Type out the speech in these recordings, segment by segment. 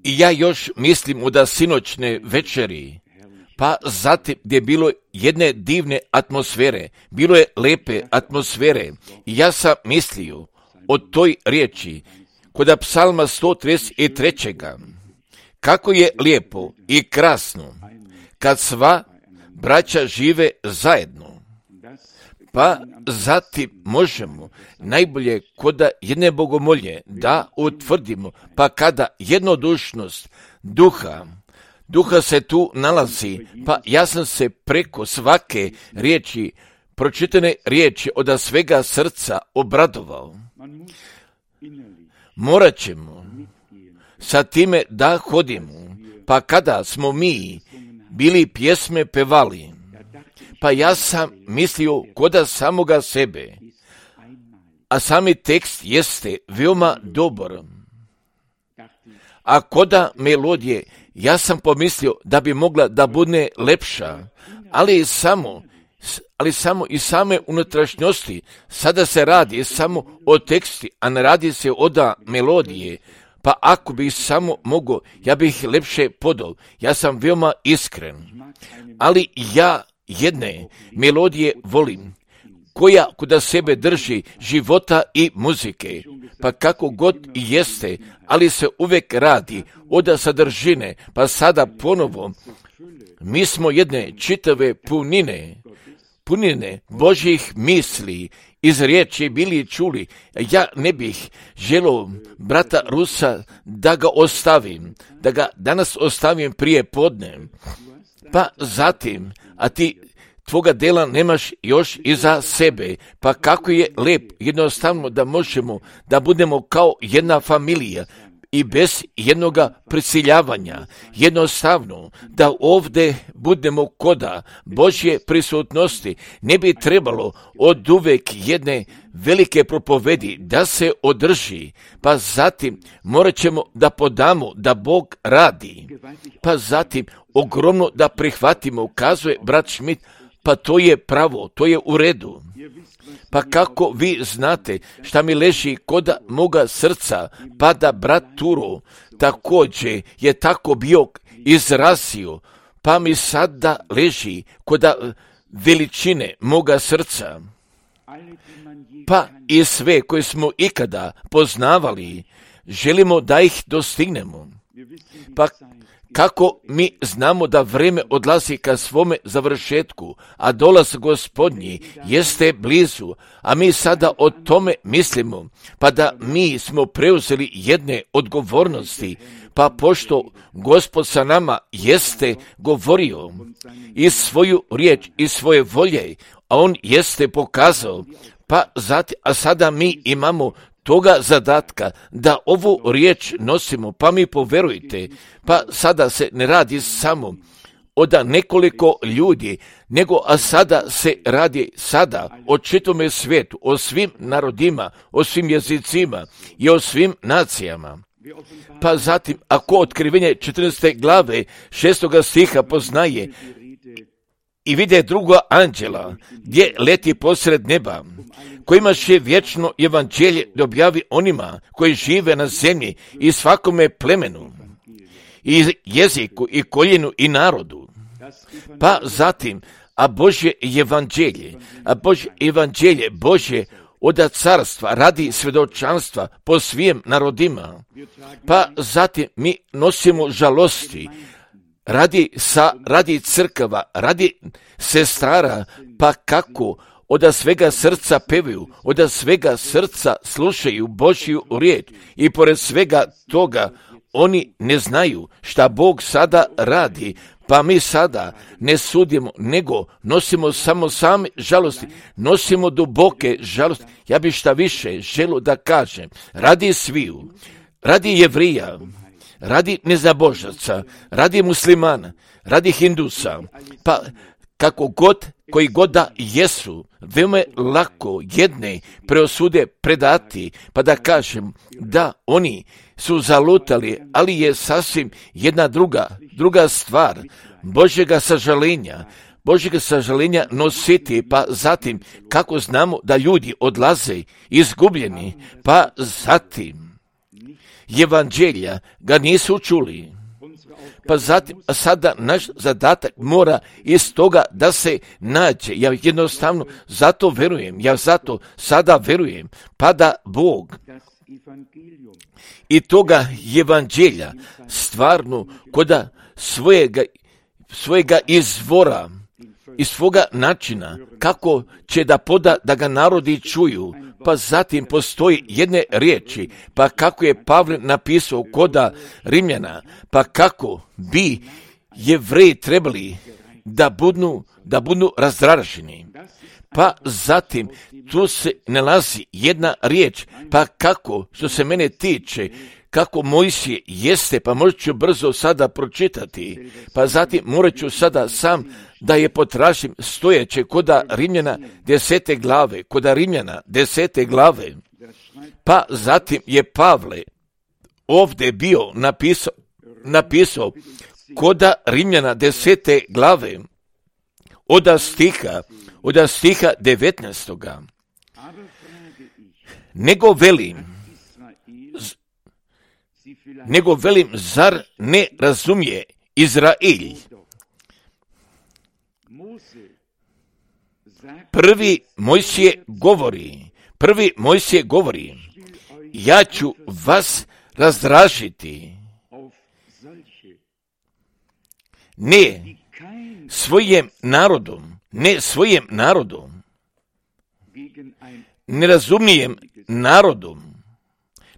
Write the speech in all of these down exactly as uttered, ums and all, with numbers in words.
I ja još mislim od sinoćne večeri, pa zatim gdje je bilo jedne divne atmosfere, bilo je lepe atmosfere. I ja sam mislio o toj riječi kod psalma sto trideset tri. Kako je lijepo i krasno kad sva braća žive zajedno. Pa zatim možemo najbolje kod jedne bogomolje da utvrdimo, pa kada jednodušnost duha, duha se tu nalazi, pa ja sam se preko svake riječi, pročitane riječi od svega srca obradovao. Morat ćemo sa time da hodimo, pa kada smo mi bili pjesme pevali, pa ja sam mislio koda samoga sebe, a sami tekst jeste veoma dobar. A koda melodije, ja sam pomislio da bi mogla da bude lepša, ali samo, ali samo i same unutrašnjosti. Sada se radi samo o teksti, a ne radi se od melodije. Pa ako bih samo mogao, ja bih lepše podao. Ja sam veoma iskren. Ali ja jedne melodije volim, koja kod sebe drži života i muzike, pa kako god i jeste, ali se uvijek radi od sadržine, pa sada ponovo, mi smo jedne čitave punine, punine Božjih misli, iz riječi bili čuli. Ja ne bih želio brata Rusa da ga ostavim, da ga danas ostavim prije podne, pa zatim, a ti tvoga dela nemaš još iza sebe, pa kako je lep jednostavno da možemo da budemo kao jedna familija i bez jednoga prisiljavanja, jednostavno da ovdje budemo koda Božje prisutnosti. Ne bi trebalo od uvek jedne velike propovedi da se održi, pa zatim morat ćemo da podamo da Bog radi, pa zatim ogromno da prihvatimo, kazuje brat Schmidt, pa to je pravo, to je u redu. Pa kako vi znate šta mi leži koda moga srca, pa da brat Turo također je tako bio izrazio, pa mi sada leži koda veličine moga srca. Pa i sve koje smo ikada poznavali, želimo da ih dostignemo. Pa kako mi znamo da vreme odlazi ka svome završetku, a dolaz Gospodnji jeste blizu, a mi sada o tome mislimo, pa da mi smo preuzeli jedne odgovornosti, pa pošto Gospod sa nama jeste govorio i svoju riječ i svoje volje, a on jeste pokazao, pa zatim, a sada mi imamo toga zadatka da ovu riječ nosimo, pa mi poverujte, pa sada se ne radi samo od nekoliko ljudi, nego a sada se radi sada o čitome svijetu, o svim narodima, o svim jezicima i o svim nacijama. Pa zatim, ako otkrivenje četrnaeste glave šestoga stiha poznaje i vide druga anđela gdje leti posred neba, koji imaše vječno evanđelje da objavi onima koji žive na zemlji i svakome plemenu, i jeziku, i koljenu, i narodu. Pa zatim, a Božje evanđelje, a Božje evanđelje, Božje od carstva radi svjedočanstva po svim narodima. Pa zatim mi nosimo žalosti, radi sa, radi crkava, radi sestara, pa kako od svega srca pevaju, od svega srca slušaju Božju riječ i pored svega toga oni ne znaju šta Bog sada radi, pa mi sada ne sudimo, nego nosimo samo same žalosti, nosimo duboke žalosti. Ja bih šta više želio da kažem, radi sviju, radi Jevrija, radi nezabožaca, radi muslimana, radi hindusa, pa kako god, koji god da jesu, veoma lako jedne preosude predati, pa da kažem da oni su zalutali, ali je sasvim jedna druga, druga stvar, Božjega sažalenja, Božjega sažalenja nositi, pa zatim kako znamo da ljudi odlaze izgubljeni, pa zatim evanđelja ga nisu čuli. Pa zatim, a sada naš zadatak mora iz toga da se nađe. Ja jednostavno zato verujem, ja zato sada verujem, pa da Bog i toga evanđelja stvarno koda svojega, svojega izvora i svoga načina kako će da poda da ga narodi čuju. Pa zatim postoji jedne riječi, pa kako je Pavle napisao koda Rimljana, pa kako bi Jevreji trebali da budu, da budu razdraženi. Pa zatim tu se nalazi jedna riječ, pa kako, što se mene tiče, kako Mojsije jeste, pa možda ću brzo sada pročitati, pa zatim morat ću sada sam da je potražim stojeće koda Rimljana desete glave, koda Rimljana desete glave, pa zatim je Pavle ovdje bio napisao, napisao koda Rimljana desete glave, oda stiha, oda stiha devetnaestoga. Nego velim, nego velim, zar ne razumije Izrael? Prvi Mojsije govori, prvi Mojsije govori, ja ću vas razdražiti, ne svojim narodom, ne svojim narodom, nerazumijem narodom,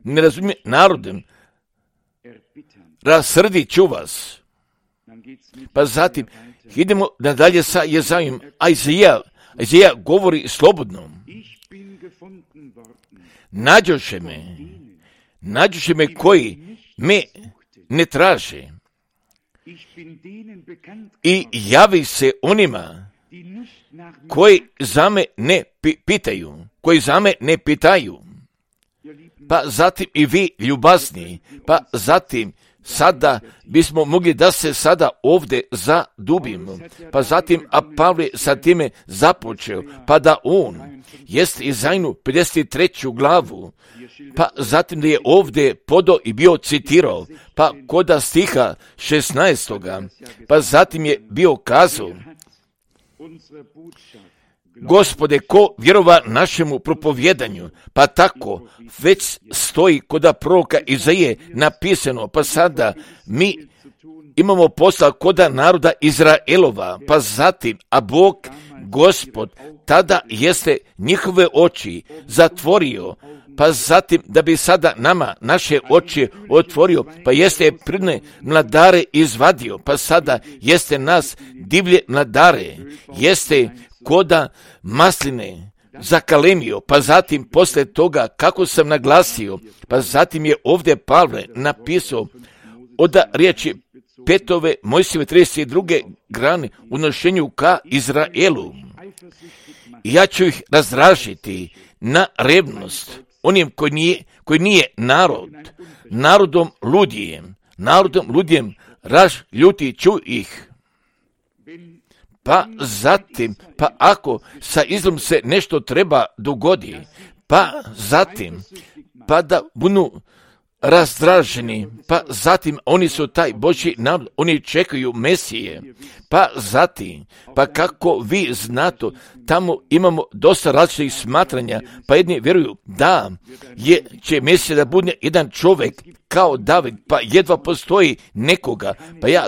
nerazumijem narodom, rasrdit ću vas. Pa zatim, idemo nadalje sa Jezajom. Ajzija, Ajzija govori slobodno. Nađoše me, nađoše me koji me ne traže i javi se onima koji za me ne pitaju, koji za me ne pitaju. Pa zatim i vi ljubazni, pa zatim sada bismo mogli da se sada ovdje zadubimo. Pa zatim, a Pavle sa time započeo, pa da on jest Izajnu pedeset treću glavu, pa zatim da je ovdje podo i bio citirao, pa koda stiha šesnaestoga, pa zatim je bio kazao, Gospode, ko vjerova našemu propovjedanju, pa tako već stoji koda proroka Izaije napisano, pa sada mi imamo posla koda naroda Izraelova, pa zatim, a Bog, Gospod, tada jeste njihove oči zatvorio, pa zatim da bi sada nama naše oči otvorio, pa jeste pridne mladare izvadio, pa sada jeste nas divlje mladare, jeste koda masline zakalemio, pa zatim posle toga kako sam naglasio, pa zatim je ovdje Pavle napisao oda riječi petove Mojsijeve trideset druge grane u nošenju ka Izraelu. I ja ću ih razdražiti na revnost onim koji nije, koji nije narod, narodom ludijem, narodom ludijem razljutit ću ih. Pa zatim, pa ako sa izlom se nešto treba dogodi, pa zatim, pa da budu razdraženi, pa zatim oni su taj Božji narod, oni čekaju Mesije, pa zatim, pa kako vi znate, tamo imamo dosta različitih smatranja, pa jedni vjeruju da je, će Mesija da bude jedan čovjek kao David, pa jedva postoji nekoga, pa ja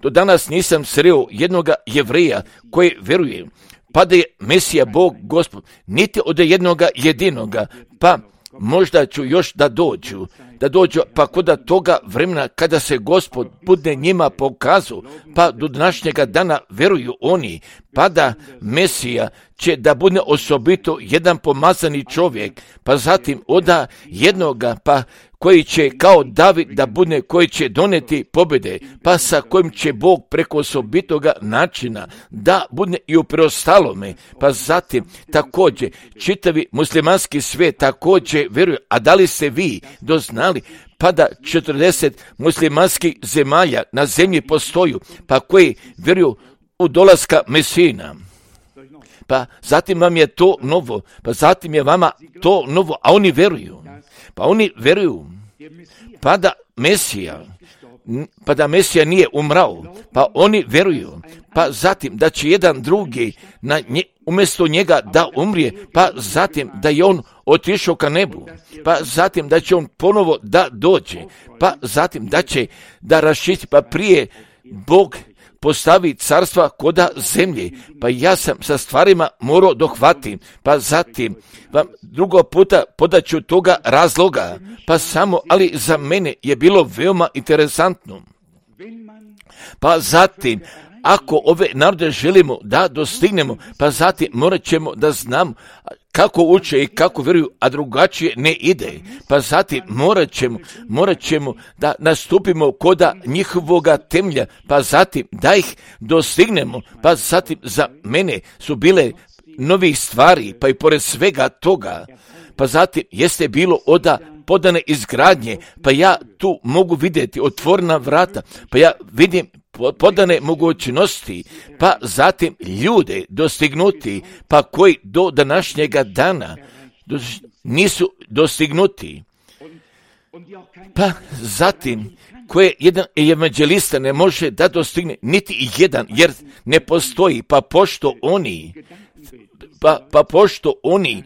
do danas nisam sreo jednoga Jevreja koji vjeruje, pa da je Mesija Bog Gospod, niti od jednoga jedinoga, pa možda ću još da dođu, da dođu, pa koda toga vremena kada se Gospod bude njima pokazao, pa do današnjega dana veruju oni, pa da Mesija će da bude osobito jedan pomazani čovjek, pa zatim oda jednoga, pa koji će kao David da bude, koji će doneti pobjede, pa sa kojim će Bog preko osobitoga načina da bude i u preostalome, pa zatim također čitavi muslimanski svijet također vjeruje, a da li ste vi doznali, pa da četrdeset muslimanskih zemalja na zemlji postoju, pa koji vjeruju u dolaska Mesina. Pa zatim vam je to novo, pa zatim je vama to novo, a oni vjeruju, pa oni vjeruju pa da Mesija, pa da Mesija nije umrao, pa oni veruju, pa zatim da će jedan drugi na nje, umjesto njega da umrije, pa zatim da je on otišao ka nebu, pa zatim da će on ponovo da dođe, pa zatim da će da raščisti, pa prije Bog postavi carstva koda zemlje, pa ja sam sa stvarima morao dohvati, pa zatim vam drugo puta podaću toga razloga, pa samo, ali za mene je bilo veoma interesantno. Pa zatim, ako ove narode želimo da dostignemo, pa zatim morat ćemo da znam kako uče i kako vjeruju, a drugačije ne ide. Pa zatim morat ćemo, morat ćemo da nastupimo koda njihovoga temelja, pa zatim da ih dostignemo, pa zatim za mene su bile novih stvari, pa i pored svega toga, pa zatim jeste bilo oda podane izgradnje, pa ja tu mogu vidjeti otvorena vrata, pa ja vidim podane mogućnosti, pa zatim ljude dostignuti, pa koji do današnjega dana nisu dostignuti. Pa zatim, koje jedan evanđelista ne može da dostigne, niti jedan, jer ne postoji, pa pošto oni, pa, pa pošto oni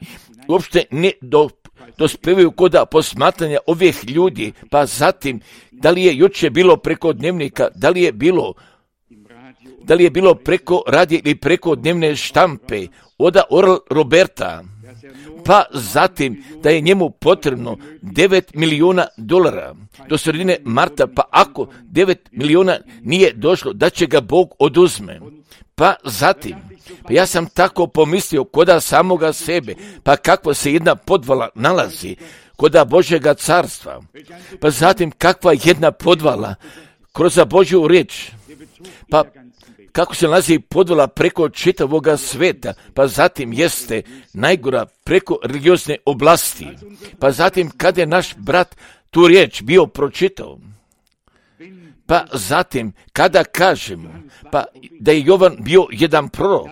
uopšte ne do dospevaju koda posmatranja ovih ljudi, pa zatim, da li je juče bilo preko dnevnika, da li je bilo, da li je bilo preko radija ili preko dnevne štampe, oda Oral Roberta, pa zatim da je njemu potrebno devet milijuna dolara do sredine marta, pa ako devet milijuna nije došlo, da će ga Bog oduzme. Pa zatim, pa ja sam tako pomislio koda samoga sebe, pa kakva se jedna podvala nalazi koda Božjega carstva, pa zatim kakva jedna podvala kroz Božju riječ, pa kako se nalazi podvala preko čitavoga sveta, pa zatim jeste najgora preko religiozne oblasti, pa zatim kada je naš brat tu riječ bio pročitao, pa zatim kada kažemo pa da je Jovan bio jedan prorok,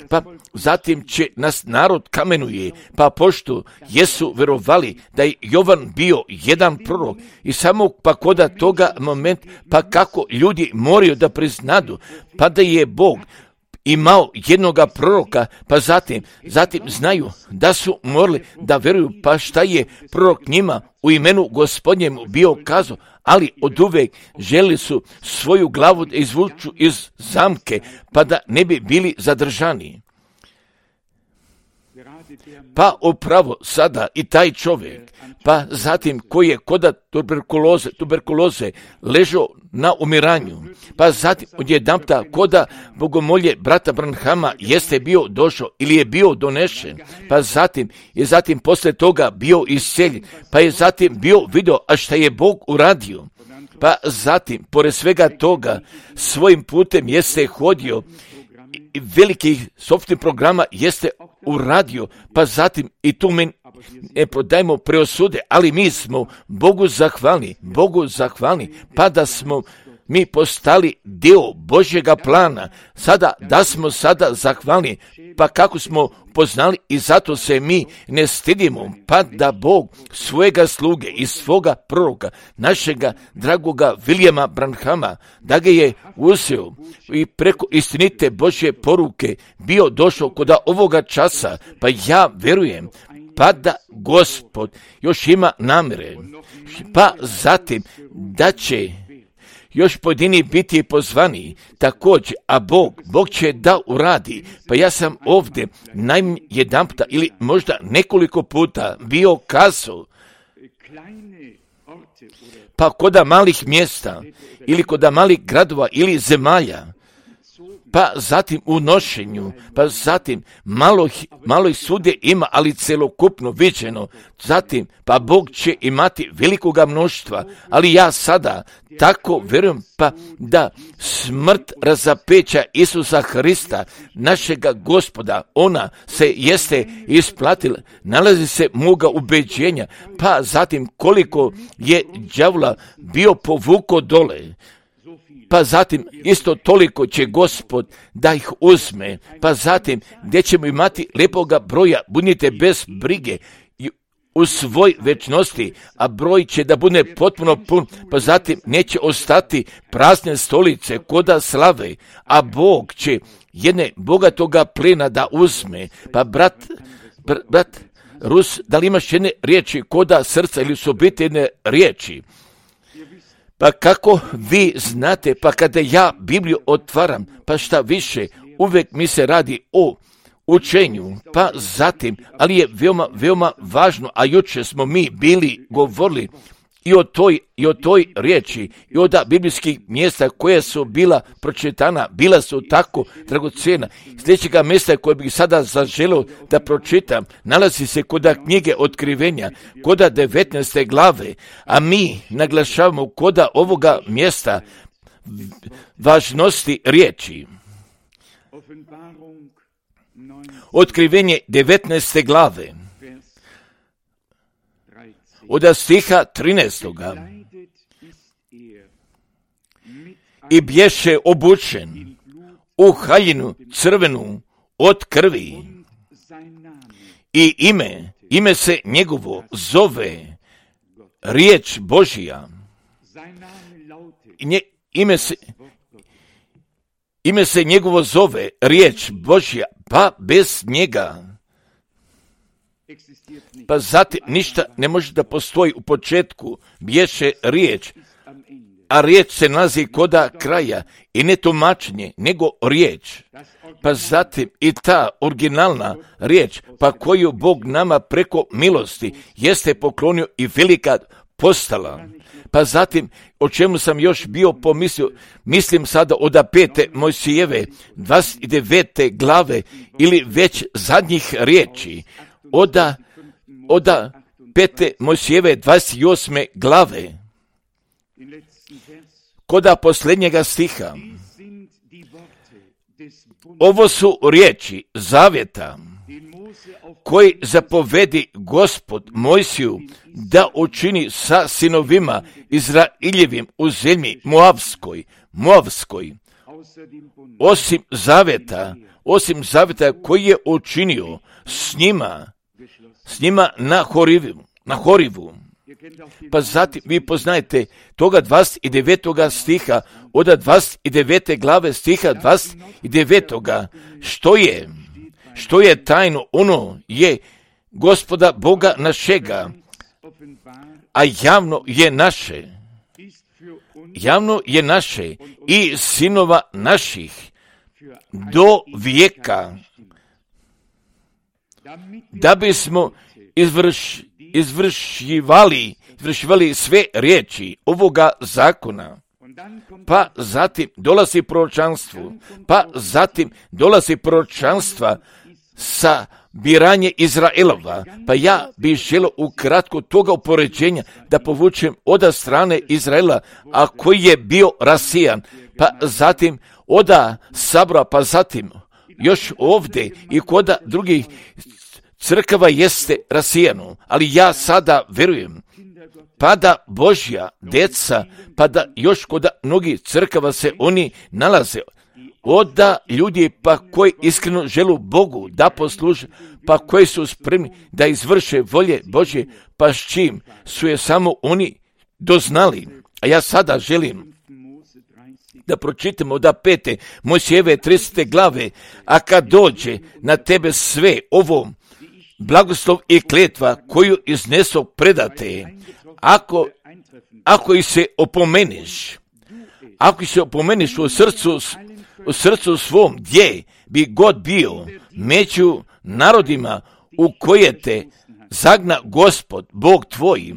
pa zatim će nas narod kamenuje, pa pošto jesu verovali da je Jovan bio jedan prorok i samo pa koda toga moment, pa kako ljudi moraju da priznadu, pa da je Bog imao jednoga proroka, pa zatim, zatim znaju da su morali da veruju, pa šta je prorok njima u imenu Gospodnjemu bio kazao, ali od uvek želi su svoju glavu da izvuču iz zamke, pa da ne bi bili zadržani. Pa upravo sada i taj čovjek, pa zatim koji je koda tuberkuloze, tuberkuloze ležao na umiranju, pa zatim odjedanputa koda bogomolje brata Branhama jeste bio došao ili je bio donešen, pa zatim je zatim posle toga bio isceljen, pa je zatim bio video, a šta je Bog uradio. Pa zatim, pored svega toga, svojim putem jeste hodio i velikih software programa jeste uradio, pa zatim i tu men ne prodajmo preosude, ali mi smo Bogu zahvalni, Bogu zahvalni, pa da smo mi postali dio Božjega plana, sada da smo sada zahvalni, pa kako smo poznali i zato se mi ne stidimo, pa da Bog svojega sluge i svoga proroka, našega dragoga Vilijama Branhama, da ga je uzeo i preko istinite Božje poruke bio došao kod ovoga časa, pa ja verujem, pa da Gospod još ima namjere, pa zatim da će još pojedini biti pozvani također, a Bog, Bog će da uradi. Pa ja sam ovdje najmanje jedan puta ili možda nekoliko puta bio kazao, pa koda malih mjesta ili koda malih gradova ili zemalja, pa zatim u nošenju, pa zatim malo, malo ih svugdje ima, ali celokupno viđeno, zatim pa Bog će imati velikoga mnoštva, ali ja sada tako vjerujem pa da smrt razapeća Isusa Hrista, našega Gospoda, ona se jeste isplatila, nalazi se moga ubeđenja, pa zatim koliko je đavola bio povuko dole, pa zatim isto toliko će Gospod da ih uzme, pa zatim gdje ćemo imati lepoga broja, budite bez brige, u svoj večnosti, a broj će da bude potpuno pun, pa zatim neće ostati prazne stolice koda slave, a Bog će jedne bogatoga plena da uzme. Pa brat, br, brat Rus, da li imaš jedne riječi koda srca ili su biti jedne riječi? Pa kako vi znate, pa kada ja Bibliju otvaram, pa šta više, uvijek mi se radi o učenju, pa zatim, ali je veoma, veoma važno, a jučer smo mi bili govorili i o toj, i o toj riječi, i od biblijskih mjesta koja su bila pročitana, bila su tako dragocjena. Sljedećega mjesta koje bih sada zaželio da pročitam, nalazi se koda knjige Otkrivenja, koda devetnaeste glave, a mi naglašavamo koda ovoga mjesta važnosti riječi. Otkrivenje devetnaeste glave, od stiha trinaestoga. I bješe obučen u haljinu crvenu od krvi i ime, ime se njegovo zove riječ Božija. Nje, ime se ime se njegovo zove riječ Božja, pa bez njega. Pa zatim ništa ne može da postoji u početku, bješe riječ, a riječ se nalazi koda kraja i ne tumačenje, nego riječ. Pa zatim i ta originalna riječ, pa koju Bog nama preko milosti jeste poklonio i velika postala. Pa zatim, o čemu sam još bio pomislio, mislim sada od pete Mojsijeve, dvadeset devete glave ili već zadnjih riječi, oda, oda pete Mojsijeve dvadeset osme glave, koda posljednjega stiha. Ovo su riječi zavjeta koji zapovedi Gospod Mojsiju da učini sa sinovima Izraeljevim u zemlji Moavskoj, Moavskoj, osim zavjeta, osim zavjeta koji je učinio s njima, s njima na Horivu, na Horivu. Pa zatim vi poznajete toga dvadeset devetoga stiha, od dvadeset devete glave stiha dvadeset devetoga, što je, što je tajno, ono je Gospoda Boga našega, a javno je naše, javno je naše i sinova naših do vijeka, da bismo izvrš, izvršivali, izvršivali sve riječi ovoga zakona. Pa zatim dolazi proročanstvo, pa zatim dolazi proročanstva sa biranje Izraelova. Pa ja bih želio ukratko toga upoređenja da povučem od strane Izraela, a koji je bio rasijan, pa zatim oda sabora, pa zatim još ovdje i koda drugih crkava jeste rasijano, ali ja sada verujem, pa da Božja deca, pa da još kod mnogih crkava se oni nalaze, oda ljudi pa koji iskreno želu Bogu da posluže, pa koji su spremni da izvrše volje Božje, pa s čim su je samo oni doznali. A ja sada želim da pročitamo da pete Mojsijeve tridesete glave, a kad dođe na tebe sve ovo, blagoslov i kletva koju iznesu predate, ako, ako ih se opomeniš, ako ih se opomeniš u srcu, u srcu svom, gdje bi god bio, među narodima u koje te zagna Gospod, Bog tvoj,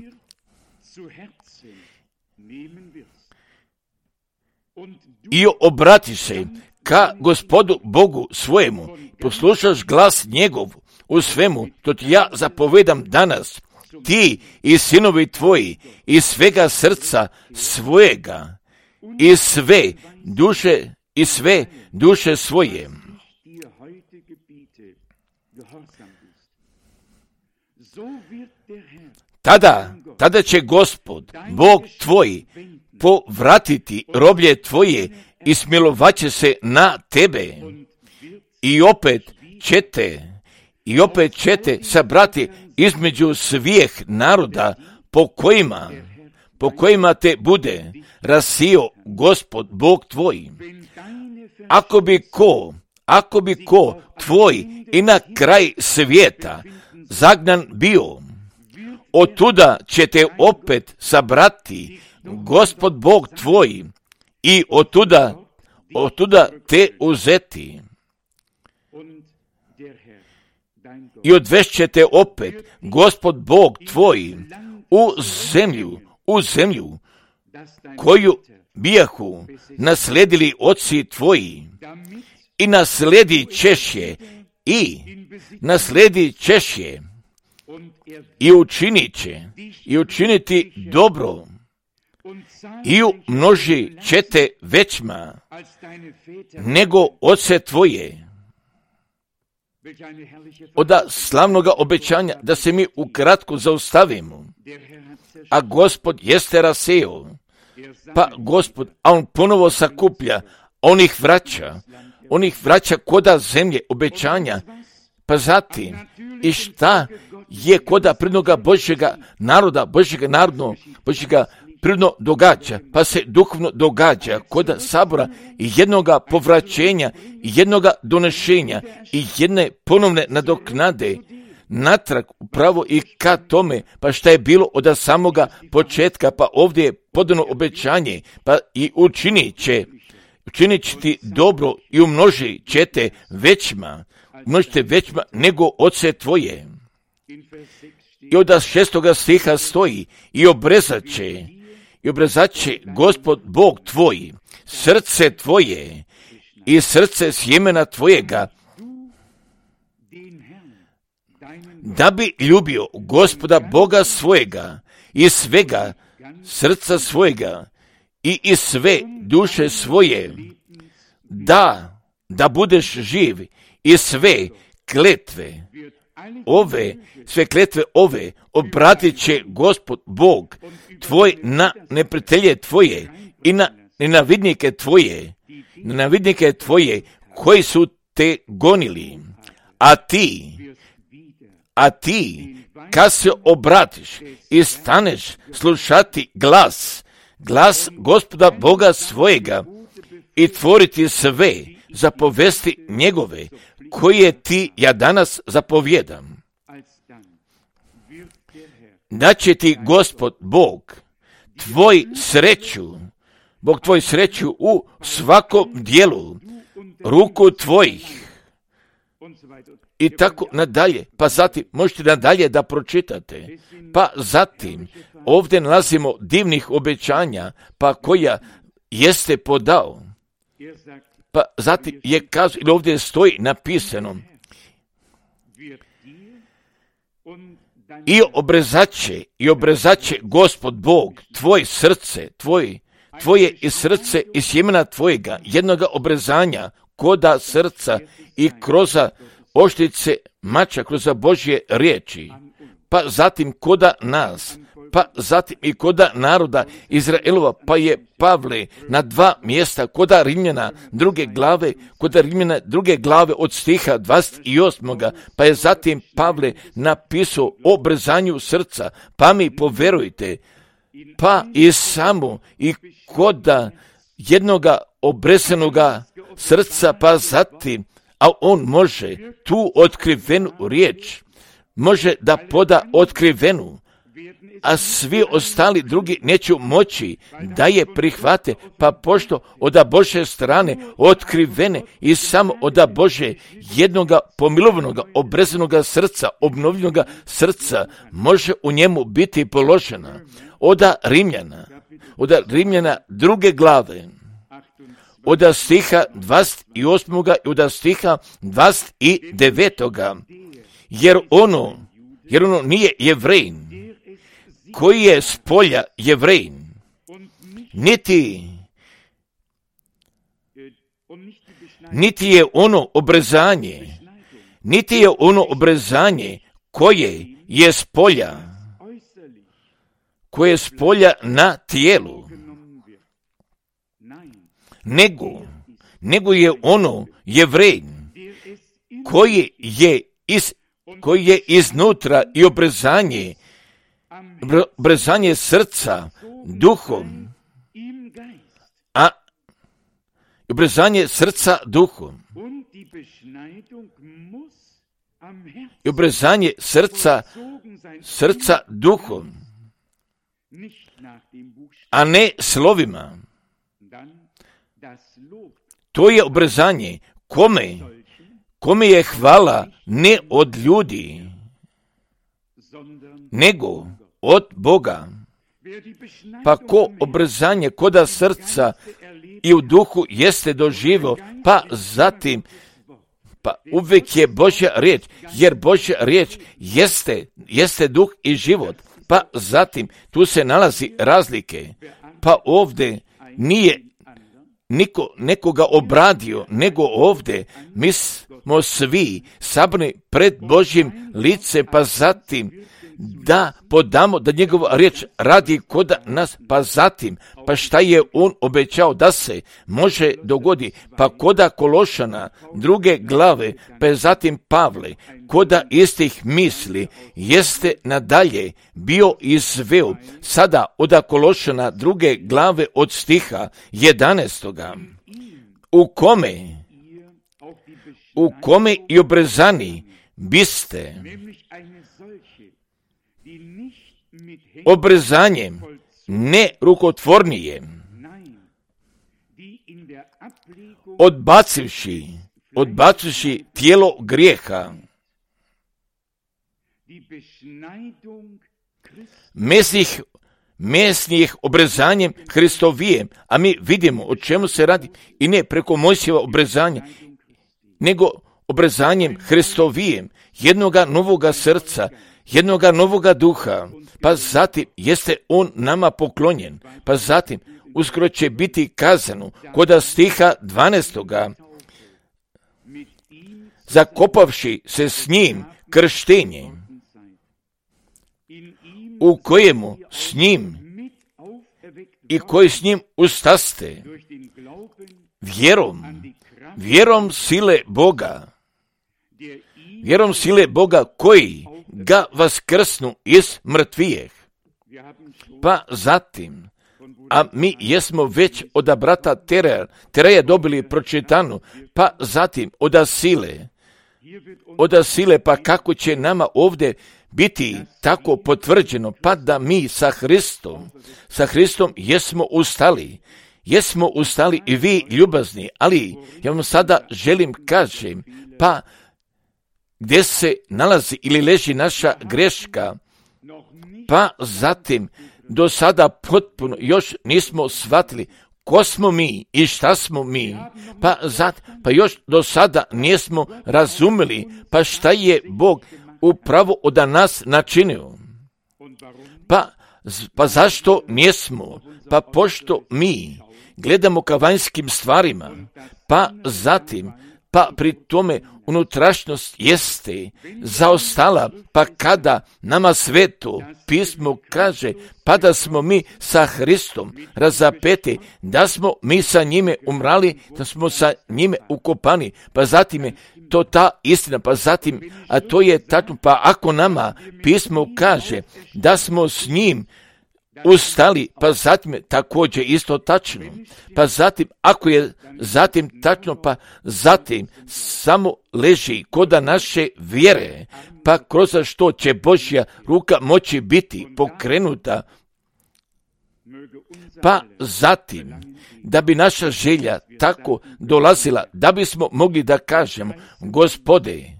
i obratiš se ka Gospodu Bogu svojemu, poslušaš glas njegov u svemu, to ti ja zapovedam danas, ti i sinovi tvoji, iz svega srca svojega, i sve duše, i sve duše svoje. Tada, tada će Gospod, Bog tvoj, povratiti roblje tvoje i smilovaće se na tebe. I opet ćete, i opet ćete sabrati između svih naroda po kojima, po kojima te bude rasio Gospod Bog tvoj. Ako bi ko, ako bi ko tvoj i na kraj svijeta zagnan bio, otuda će te opet sabrati Gospod Bog tvoj i otuda, otuda te uzeti. I odvešće te opet Gospod Bog tvoj u zemlju, u zemlju koju bijahu nasledili oci tvoji, i nasledi ćeš je, i nasledi ćeš je, i učinit će, i učiniti dobro, i umnoži će te većma nego oce tvoje. Oda slavnoga obećanja da se mi ukratko zaustavimo, a Gospod jeste raseo, pa Gospod, a on ponovo sakuplja, on ih vraća, on ih vraća koda zemlje obećanja, pa zatim, i šta je koda prirodnoga Božjega naroda, Božjega narodno, Božjega prirodno događa, pa se duhovno događa koda sabora i jednoga povraćenja, i jednoga donešenja, i jedne ponovne nadoknade, natrag upravo i ka tome, pa šta je bilo od samoga početka, pa ovdje je podano obećanje, pa i učinit će, učinit će ti dobro i umnožit će te većma, umnožite većma nego oce tvoje. I od šestoga stiha stoji, i obrezat će, i obrezat će Gospod Bog tvoj srce tvoje i srce sjemena tvojega, da bi ljubio Gospoda Boga svojega i svega srca svojega i iz sve duše svoje, da, da budeš živ, i sve kletve ove, sve kletve ove obratit će Gospod Bog tvoj na neprijatelje tvoje i na nenavidnike tvoje, nenavidnike tvoje koji su te gonili, a ti, a ti, kad se obratiš i staneš slušati glas, glas Gospoda Boga svojega i tvoriti sve zapovesti njegove, koje ti ja danas zapovjedam, da će ti Gospod Bog tvoj sreću, Bog tvoj sreću u svakom dijelu ruku tvojih, i tako nadalje. Pa zatim možete nadalje da pročitate. Pa zatim ovdje nalazimo divnih obećanja, pa koja jeste podao. Pa zatim je kazao, ili ovdje stoji napisano, i obrezat i obrezat Gospod Bog tvoj srce, tvoj, tvoje i srce i sjemena tvojega, jednoga obrezanja koda srca i kroz oštrice mača, kroz Božje riječi, pa zatim koda nas, pa zatim i koda naroda Izraelova, pa je Pavle na dva mjesta koda Rimljana druge glave, koda Rimljana druge glave od stiha dvadeset osam. Pa je zatim Pavle napisao o obrezanju srca, pa mi poverujte, pa i samo i koda jednoga obrezanoga srca, pa zatim, a on može tu otkrivenu riječ, može da poda otkrivenu, a svi ostali drugi neće moći da je prihvate, pa pošto od Božje strane otkrivene i samo od Bože jednoga pomilovanog, obrezanoga srca, obnovljenoga srca, može u njemu biti položena od Rimljana, od Rimljana druge glave, od stiha dvadeset osam i od stiha dvadeset devet. Jer ono, jer ono nije Jevrejin, koji je s polja Jevrejin, niti, niti je ono obrezanje, niti je ono obrezanje koje je s polja, koje je s polja na tijelu, nego, nego je ono Jevrejin, koji je iz koji je iznutra i obrezanje, obrezanje srca duhom, a obrezanje srca duhom. I obrezanje srca, srca duhom, a ne slovima. To je obrezanje kome, kome je hvala ne od ljudi, nego od Boga. Pa ko obrezanje koda srca i u duhu jeste doživo, pa zatim pa uvijek je Božja riječ, jer Božja riječ jeste, jeste duh i život. Pa zatim tu se nalazi razlike. Pa ovdje nije niko nekoga obradio, nego ovdje mi smo svi sabrani pred Božjim lice, pa zatim da podamo da njegova riječ radi kod nas, pa zatim, pa šta je on obećao da se može dogodi, pa koda Kološana druge glave, pa zatim Pavle, koda istih misli, jeste nadalje bio izveo, sada od Kološana druge glave od stiha jedanaestoga, u kome, u kome i obrezani biste obrezanjem ne rukotvornije, odbacivši, odbacivši tijelo grijeha, mesnih, mesnih obrezanjem Hristovijem, a mi vidimo o čemu se radi, i ne preko Mojsijeva obrezanja, nego obrezanjem Hristovijem, jednoga novoga srca, jednoga novoga duha, pa zatim jeste on nama poklonjen, pa zatim uskoro će biti kazano koda stiha dvanaestoga, zakopavši se s njim krštenje, u kojemu s njim i koji s njim ustaste, vjerom, vjerom sile Boga, vjerom sile Boga koji ga vaskrsnu iz mrtvijeh. Pa zatim, a mi jesmo već od brata Tereja, Tereja dobili pročitanu, pa zatim od sile, od sile, pa kako će nama ovdje biti tako potvrđeno, pa da mi sa Hristom, sa Hristom jesmo ustali, jesmo ustali i vi ljubazni, ali ja vam sada želim kažem, pa gdje se nalazi ili leži naša greška, pa zatim do sada potpuno još nismo shvatili ko smo mi i šta smo mi, pa, zat, pa još do sada nismo razumjeli pa šta je Bog upravo od nas načinio. Pa, pa zašto nismo? Pa pošto mi gledamo ka vanjskim stvarima, pa zatim, pa pri tome unutrašnjost jeste zaostala, pa kada nama sveto pismo kaže, pa da smo mi sa Hristom razapeti, da smo mi sa njime umrali, da smo sa njime ukopani, pa zatim je to ta istina, pa zatim, a to je tačno, pa ako nama pismo kaže da smo s njim ustali, pa zatim je također isto tačno, pa zatim, ako je zatim tačno, pa zatim samo leži koda naše vjere, pa kroz što će Božja ruka moći biti pokrenuta, pa zatim, da bi naša želja tako dolazila, da bismo mogli da kažemo, Gospode,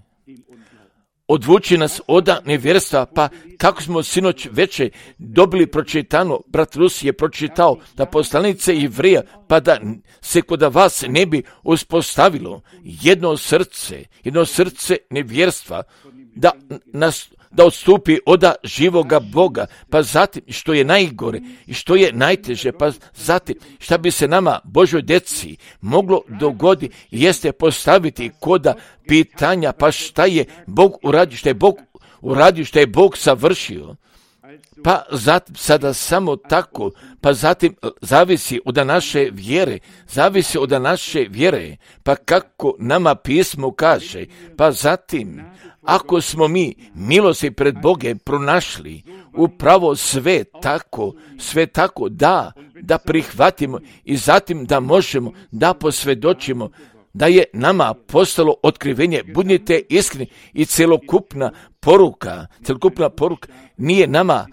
odvuči nas od nevjerstva, pa kako smo sinoć veče dobili pročitano, brat Rus je pročitao da poslanice Jevreja, pa da se kod vas ne bi uspostavilo jedno srce, jedno srce nevjerstva, da nas da odstupi od živoga Boga, pa zatim što je najgore i što je najteže, pa zatim šta bi se nama, Božoj djeci, moglo dogoditi, jeste postaviti koda pitanja, pa šta je Bog uradio, šta je Bog uradio, šta je Bog savršio, pa zatim sada samo tako, pa zatim zavisi od naše vjere, zavisi od naše vjere, pa kako nama pismo kaže, pa zatim, ako smo mi milosti pred Bogom pronašli, upravo sve tako, sve tako da, da prihvatimo i zatim da možemo da posvjedočimo da je nama postalo otkrivenje, budite iskreni i celokupna poruka, celokupna poruka nije nama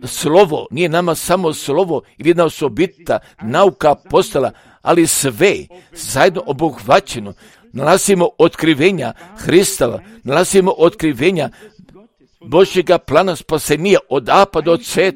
slovo, nije nama samo slovo ili jedna osobita nauka postala, ali sve zajedno obuhvaćeno. Nalazimo otkrivenja Hristova, nalazimo otkrivenja Božjega plana spasenja od A pa do Z,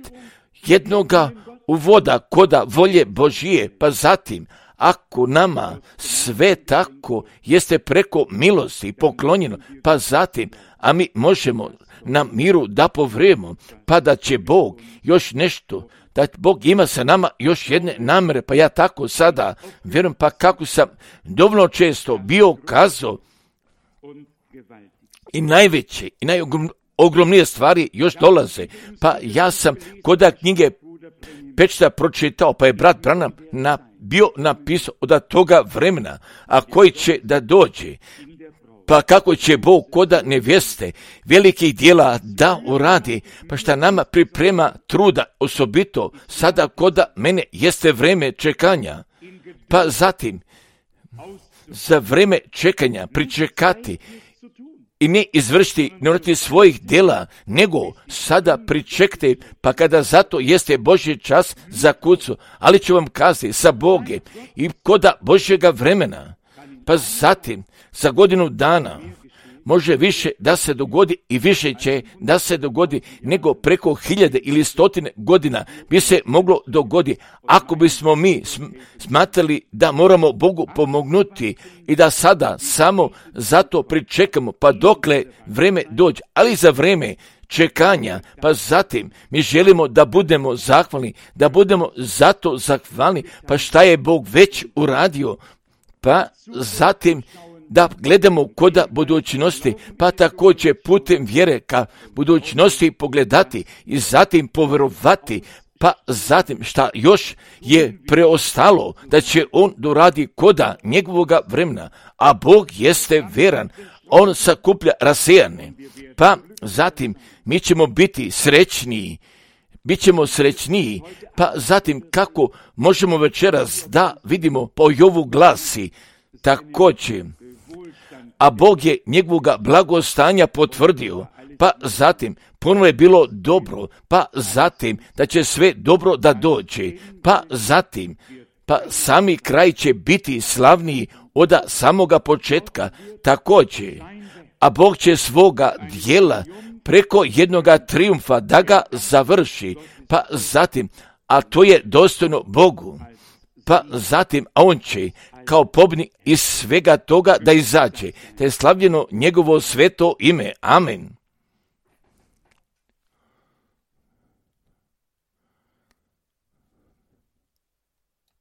jednoga uvoda koda volje Božije, pa zatim, ako nama sve tako jeste preko milosti poklonjeno, pa zatim, a mi možemo na miru da povremo, pa da će Bog još nešto, da Bog ima sa nama još jedne namere, pa ja tako sada vjerujem, pa kako sam dovoljno često bio kazao i najveće i najogromnije stvari još dolaze, pa ja sam koda knjige Pečata pročitao, pa je brat Branham na, bio napisao od toga vremena, a koji će da dođe, pa kako će Bog koda nevjeste velikih dijela da uradi, pa šta nama priprema truda, osobito sada koda mene jeste vreme čekanja, pa zatim za vreme čekanja pričekati i ne izvršiti, ne urati svojih djela, nego sada pričekajte, pa kada zato jeste Božji čas za kucu, ali ću vam kazati sa Boge i koda Božjega vremena, pa zatim za godinu dana može više da se dogodi i više će da se dogodi nego preko hiljade ili stotine godina bi se moglo dogodi ako bismo mi smatrali da moramo Bogu pomognuti i da sada samo zato pričekamo pa dokle vreme dođe, ali za vreme čekanja, pa zatim mi želimo da budemo zahvalni, da budemo zato zahvalni, pa šta je Bog već uradio, pa zatim da gledamo koda budućnosti, pa također putem vjere ka budućnosti pogledati i zatim povjerovati, pa zatim šta još je preostalo da će on doradi koda njegovoga vremena, a Bog jeste veran, on sakuplja rasejane, pa zatim mi ćemo biti srećniji, bit ćemo srećniji, pa zatim kako možemo večeras da vidimo po Jovu glasi, također, a Bog je njegovoga blagostanja potvrdio, pa zatim puno je bilo dobro, pa zatim da će sve dobro da dođe, pa zatim, pa sami kraj će biti slavniji od samoga početka, također, a Bog će svoga dijela preko jednoga triumfa da ga završi, pa zatim, a to je dostojno Bogu, pa zatim, a on će kao pobjednik iz svega toga da izađe, te je slavljeno njegovo sveto ime. Amen.